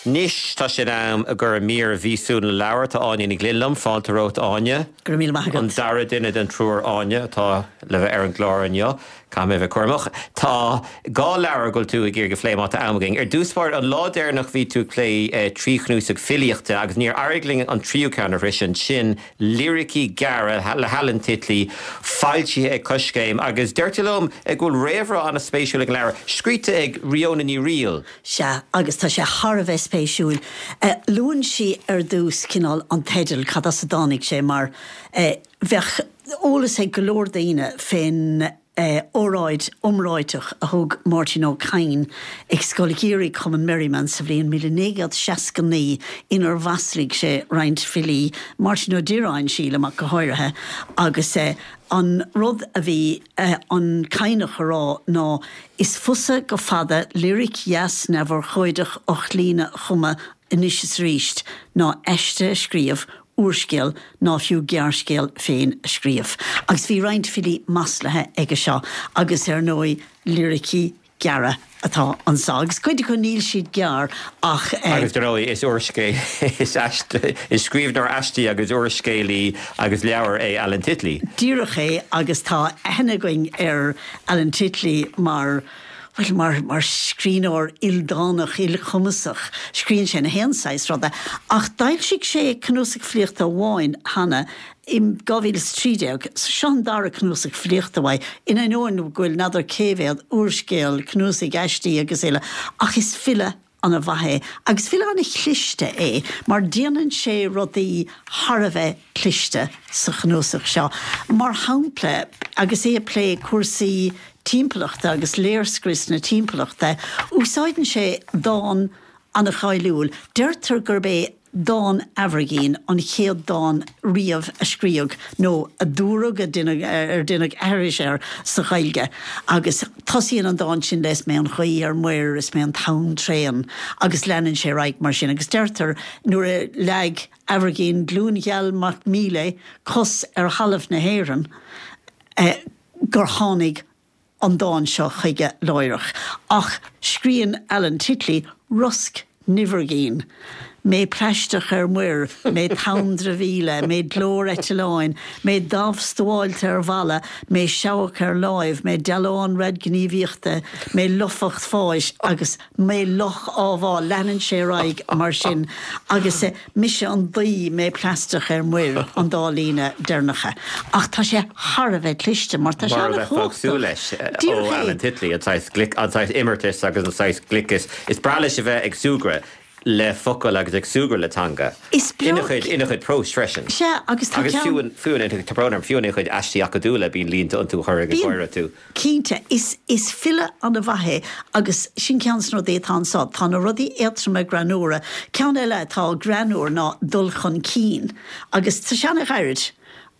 Anois tá sé in am i gcomhair mír mhíosúil na leabhar. Tá Áine Ní Ghlinn liom. Fáilte romhat, Áine. Go raibh míle maith agat. An dara duine den triúr Áine atá le bheith ar an gclár inniu. Caithfidh mé a bheith cúramach. Tá dhá leabhar go bhfuil tú ag iarraidh a phlé má tá am againn. Ar dtús báire, an lá deireanach bhí tú ag plé trí chnuasach filíochta agus níor éirigh linn an tríú ceann a shroisint, sin Liricí Gearra le hAlan Titley, foilsithe ag Coiscéim agus deir tú liom go bhfuil réamhrá an-spéisiúil ag an leabhar, scríte ag Ríona Ní Fhrighil. Sea, agus tá sé thar a bheith spéisiúil. Luann sí ar dtús cineál an teideal, cad as a dtáinig sé, mar bheadh eolas ag go leor daoine fén óráid iomráiteach a thug Máirtín Ó Cadhain ag Scoil Gheimhridh Chumann Merriman sa bhliain 1969 inar mhaslaigh sé roinnt filí, Máirtín Ó Direáin, sílim, ach go háirithe, agus an rud a bhí an Cadhnach a rá ná Is fusa go fada liric dheas neamhurchóideach ochtlíne a chumadh anois is arís ná aiste a scríobh, úrscéal ná fiú gearrscéal féin a scríobh. Agus bhí roinnt filí maslaithe aige seo agus ar ndóigh liricí gearra atá anso agus cuid acu níl siad gearr ach. Agus dar ndóigh is úrscéal, is aiste, is scríbhneoir aistí agus úrscéalaí agus leabhar é Alan Titley. Díreach é agus tá aithne againn ar Alan Titley mar, bhuel, mar, mar scríbhneoir ildánach, ilchumasach. Scríobhann sé na haon saghas ruda. Ach d'fhoilsigh sé cnuasach filíochta amháin cheana in 2013. So seo an dara cnuasach filíochta uaidh, in ainneoin go bhfuil n'fheadar cé mhéad úrscéal, cnuasaigh aistí agus uile. Ach is file ana-mhaith é. Agus file ana-chliste é, mar déanann sé rudaí thar a bheith cliste sa chnuasach seo. Mar shampla, agus é ag plé cúrsaí timpeallachta agus léirscrios na timpeallachta, úsáideann sé dán ana-cháiliúil. Deirtear gurb é dán Aimhirgín an chéad dán riamh a scríodh, nó a dúradh, ar deineadh aithris air, sa Ghaeilge. Agus tosaíonn an dán sin le 'Is mé an ghaoth ar muir, is mé an tonn tréan' agus leanann sé ar aghaidh mar sin. Agus deirtear nuair a leag Aimhirgín Glúingheal Mac Míle cos ar thalamh na hÉireann gur tháinig an dán seo chuige láithreach. Ach scríonn Alan Titley 'Rosc nAimhirgín', mé plaisteach ar muir, mé tonn dramhaíola, mé glór eitleáin, mé damh stuáilte ar bhalla, mé seabhac ar láimh, mé dealán raidghníomhaíochta, mé lofacht fáis agus mé luch á bhá. Leanann sé ar aghaidh mar sin agus Mise an dao, mé plaisteach ar muir, an dá líne deireanacha. Ach tá sé thar a bheith cliste mar tá sé Mar a bheifeá ag súil an-chumhachtach. leis ó Díreach é. Alan Titley, an saghas glic, an saghas imeartais agus an saghas gliceas. Is breá leis a bheith ag súgradh le focail agus ag súgradh le teanga. Is breá. Ina chuid, ina chuid próis freisin. Sea, agus tá Agus ceann. fiú in, fiú in, tá brón orm, fiú ina chuid aistí acadúla bíonn línte iontu a chuirfeadh ag Bíonn. gáire tú. Cinnte, is is file ana-mhaith é agus sin ceann de na rudaí atá anso. Tá na rudaí éadtroma greannúra. Ceann eile atá greannúr ná dul chun cinn agus tá sé ana-ghairid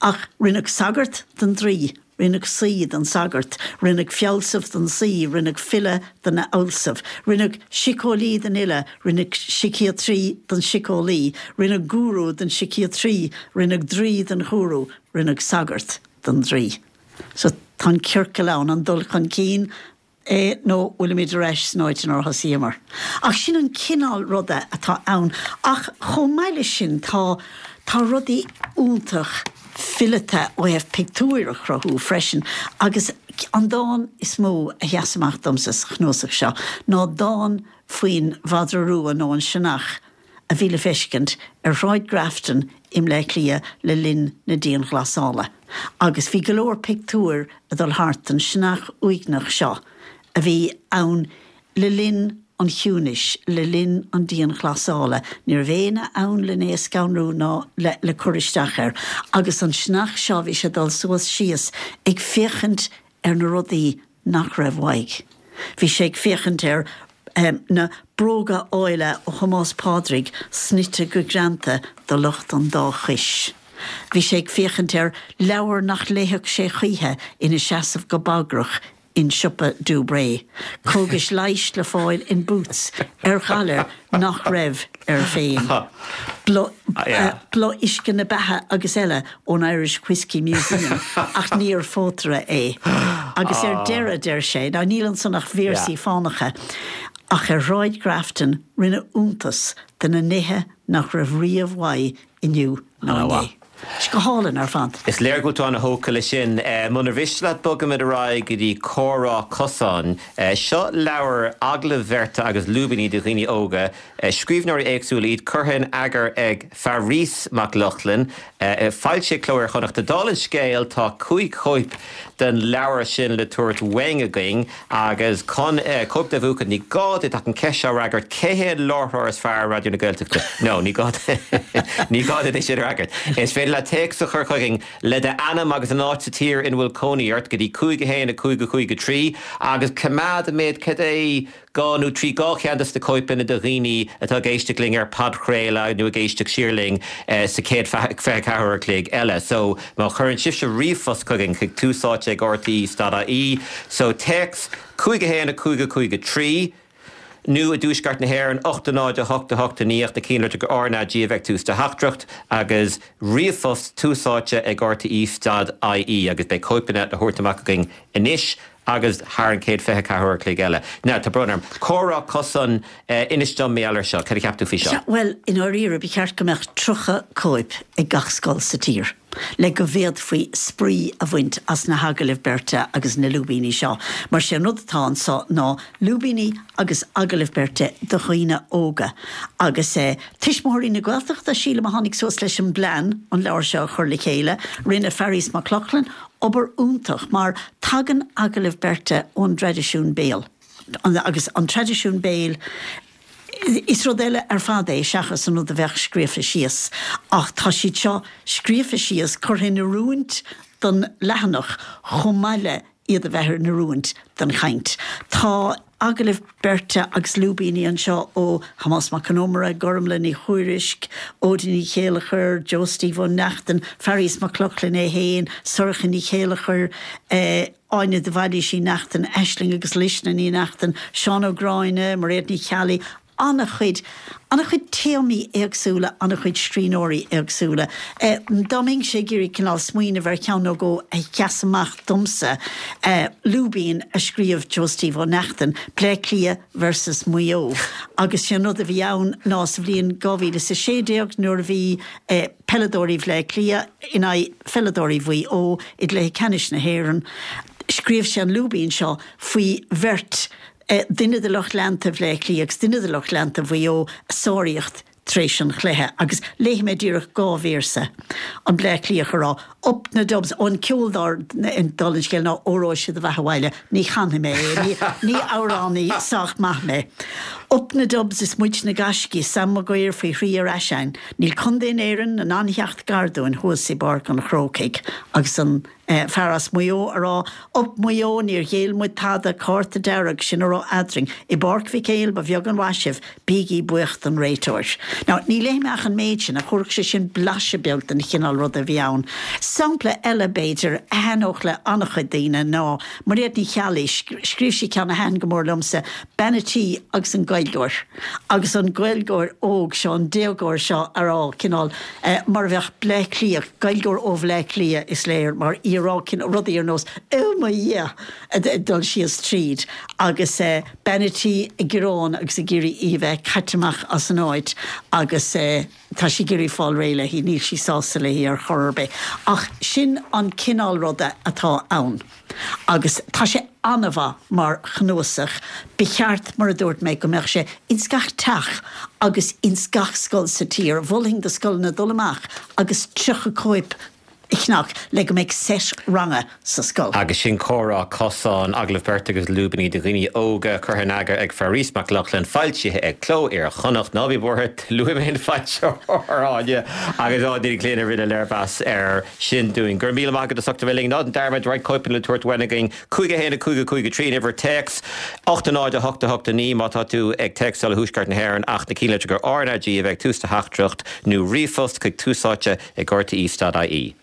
ach rinneadh sagart den draoi, rinneadh saoi den sagart, rinneadh fealsamh den saoi, rinneadh file den fhealsamh, rinneadh síceolaí den fhile, rinneadh síciatraí den síceolaí, rinneadh gúrú den síciatraí, rinneadh draoi den ghúrú, rinneadh sagart den draoi. So tá an ciorcal ann, an dul chun cinn é nó bhfuilimid ar ais san áit inar thosaíomar? Ach sin an cineál ruda atá ann. Ach chomh maith leis sin tá, tá rudaí iontach fileata ó thaobh pictiúir a chruthú freisin agus an dán is mó a sheas amach domsa sa chnuasach seo ná dán faoin mhadra rua nó an sionnach a bhí le feiscint ar Shráid Grafton i mBleá Cliath le linn na dianghlasála agus bhí go leor pictiúir ag dul thart den sionnach uaigneach seo a bhí ann le linn an chiúnais, le linn an dianghlasála. Ní raibh éinne ann len é a scanrú ná le le cur isteach air agus an sionnach seo bhí sé ag dul suas síos ag féachaint ar na rudaí nach raibh uaidh. Bhí sé ag féachaint ar na bróga áille ó Thomás Pádraig snoite go greanta do lucht an dá chois. Bhí sé ag féachaint ar leabhar nach léifeadh sé choíche ina seasamh go bagrach in siopa Dubray, cógais leighis le fáil in Boots ar ghalar nach raibh air féin. Boladh uisce na beatha agus eile ón Irish Whiskey Museum ach níor phótaire é. Agus ar deireadh, deir sé, now níl ansan ach véarsaí fánacha. Ach ar Shráid Grafton rinneadh iontas de na nithe nach raibh riamh uaidh inniu ná inné. Go hálainn ar fad. Is léir go bhfuil tú ana-thógtha leis sin. Munar mhiste leat bogfaimid ar aghaidh go dtí Comhrá Cosáin. Seo leabhar agallaimh bheirte agus lúibíní do dhaoine óga. Scríbhneoirí éagsúla iad, curtha in eagar ag Fearghas Mac Lochlainn. Foilsithe ag Cló Iar-Chonnachta. Dála an scéil, tá 5 chóip den leabhar sin le tabhairt uainn againn agus chun cóip de a bhuachan ní gá duit ach an cheist seo a fhreagairt, cé hé an láithreoir is fearr ar Raidió na Gaeltachta? No, ní gá ní gá duit é sin a fhreagairt. Is féidir leat téacs a chur chugainn le d'ainm agus an áit sa tír ina bhfuil cónaí ort go dtí 5 1 5 5 3 agus coimeád an méid cad é 2 nó 3, 2 cheann de na cóipeanna do dhaoine atá ag éisteacht linn ar podchraoladh nó ag éisteacht siar linn sa chéad 24 uair a chloig eile. So, má chuireann sibhse ríomhphost chugainn chuig tús áite ag rte stad ie, so téacs 5 1 5 5 3, nó i dTuaisceart na hÉireann 8 0 8 8 9 ach na cinnlitreacha RnaG a bheith ag tús do theachtaireacht agus ríomhphost tús áite ag rte stad ie agus beidh cóipeanna le thabhairt amach againn anois agus thar an chéad 24 uair a chloig eile. Now, tá brón orm. Comhrá Cosáin, inis dom mar gheall air seo. Cad a cheap tú faoi seo? Bhuel, i ndáiríre, ba cheart go mbeadh 30 cóip ag gach scoil sa tír le go bhféadfaí spraoi a bhaint as na hagallaimh beirte agus na lúibíní seo. Mar sé an rud atá anso ná lúibíní agus agallaimh beirte do dhaoine óga. Agus Tuismitheoirí na Gaeltachta, sílim, a tháinig suas leis an bplean an leabhar seo a chur le chéile. Rinne Fearghas Mac Lochlainn obair iontach mar tagann agallaimh beirte ón dtraidisiún béil agus an traidisiún béil, is rud eile ar fad é seachas an rud a bheadh scríofa síos ach tá siad seo scríofa síos, curtha in oiriúint don leathanach chomh maith le iad a bheith in oiriúint don chaint. Tá agallaimh beirte agus lúibíní anseo ó Thomás Mac Con Iomaire, Gormlaith Ní Thuairisg, Ódí Ní Chéilleachair, Joe Steve Ó Neachtain, Fearghas Mac Lochlainn é féin, Sorcha Ní Chéilleachair, Áine de Bhailís Uí Neachtain, Aisling agus Luisne Ní Neachtain, Seán Ó Gráinne, Mairéad Ní Cheallaigh, an-chuid, an-chuid téamaí éagsúla, an-chuid scríbhneoirí éagsúla. Dá mbeinnse ag iarraidh cineál smaoineamh ar cheann nó dhó a sheas amach domsa, lúibín a scríobh Joe Steve Ó Neachtain, Bleá Cliath versus Maigh Eo. Agus sé an rud a bhí ann ná sa bhliain 2016 nuair a bhí peileadóirí Bhleá Cliath in aghaidh pheileadóirí Mhaigh Eo i gcluiche ceannais na hÉireann, scríobh sé an lúibín seo faoi bheirt duine de lucht leanta Bhleá Cliath agus duine de lucht leanta Mhaigh Eo a sáraíocht tar éis an chluiche agus léifidh mé díreach 2 véarsa. An Bleá Cliathach ag rá, Up na Dubs! Ó an ceol dár dála an scéil ná Óró Sé do Bheatha 'Bhaile. Ní chanfaidh mé é, ní amhránaí sách maith mé. Up na Dubs is muid na gaiscígh, Sam Maguire faoi thrí ar ais a'inn. Níl contae in Éirinn in ann theacht gar dúinn thuas i bPáirc an Chrócaigh agus an. Fear as Maigh Eo a rá, Up Maigh Eo, níor ghéill muid tada, cárta dearg, sin a raibh eadrainn. I bPáirc Mhic Éil ba bheag an mhaith sibh, bígí buíoch don réiteoir. Now, ní léifidh mé ach an méid sin, ach thabharfadh sé sin blaiseadh beag den chineál ruda a bhí ann. Sampla eile, b'fhéidir, a thaitneodh le an-chuid daoine ná Mairéad Ní Cheallaigh, scríobh sí ceann a thaitin go mór liomsa, Bean a' Tí agus an Gaeilgeoir. Agus an Gaeilgeoir óg seo, an déagóir seo a rá, cineál, mar a bheadh Bleá Cliath, Gaeilgeoir ó Bhleá Cliath is léir, mar í a rá rudaí ar nós 'Oh mo Dhia! ag dul síos tríd agus bean a' tí ag gearán agus ag iarraidh í a bheith caite amach as an áit agus tá sí ag iarraidh fáil réidh léi, níl sí sásta léi ar chor ar bith. Ach sin an cineál ruda atá ann. Agus tá sé an-mhaith mar chnuasach. Ba cheart, mar a dúirt mé, go mbeadh sé ins gach teach agus ins gach scoil sa tír. Mholfainn do scoileanna dul amach agus 30 cóip a cheannach le go mbeidh seit ranga sa scoil. Agus sin Comhrá Cosáin, agallamh beirte agus lúibíní do dhaoine óga, curtha in eagar ag Fearghas Mac Lochlainn, foilsithe ag Cló Iar-Chonnacht. Ná bí buartha, luaigh mé an foilsitheoir, Áine, agus Áine Ní Ghlinn a rinne léirmheas air. sin dúinn. Go raibh míle maith agat as ucht a bheith linn. Ná déan dearmad, roinnt cóipeanna le tabhairt uainn againn. 5 1 5 5 3 an uimhir téacs, 8 0 8 8 9 má tá tú ag téacsáil ó Thuaisceart na hÉireann ach na cinnlitreacha RnaG a bheith ag tús do theachtaireacht nó ríomhphost chuig túsáite ag rte.ie.